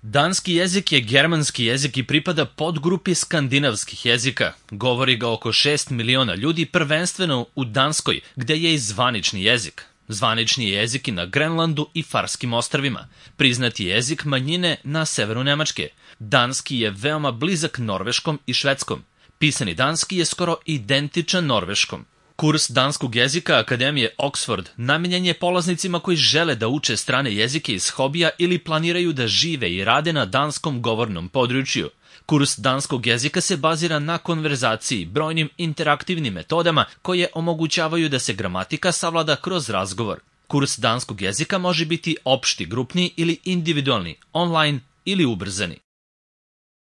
Danski jezik je germanski jezik i pripada podgrupi skandinavskih jezika. Govori ga oko 6 miliona ljudi, prvenstveno u Danskoj, gde je i zvanični jezik. Zvanični je jezik i na Grenlandu i Farskim ostrvima. Priznati jezik manjine na severu Nemačke. Danski je veoma blizak norveškom i švedskom. Pisani danski je skoro identičan norveškom. Kurs danskog jezika Akademije Oxford namenjen je polaznicima koji žele da uče strane jezike iz hobija ili planiraju da žive i rade na danskom govornom području. Kurs danskog jezika se bazira na konverzaciji, brojnim interaktivnim metodama koje omogućavaju da se gramatika savlada kroz razgovor. Kurs danskog jezika može biti opšti, grupni ili individualni, online ili ubrzani.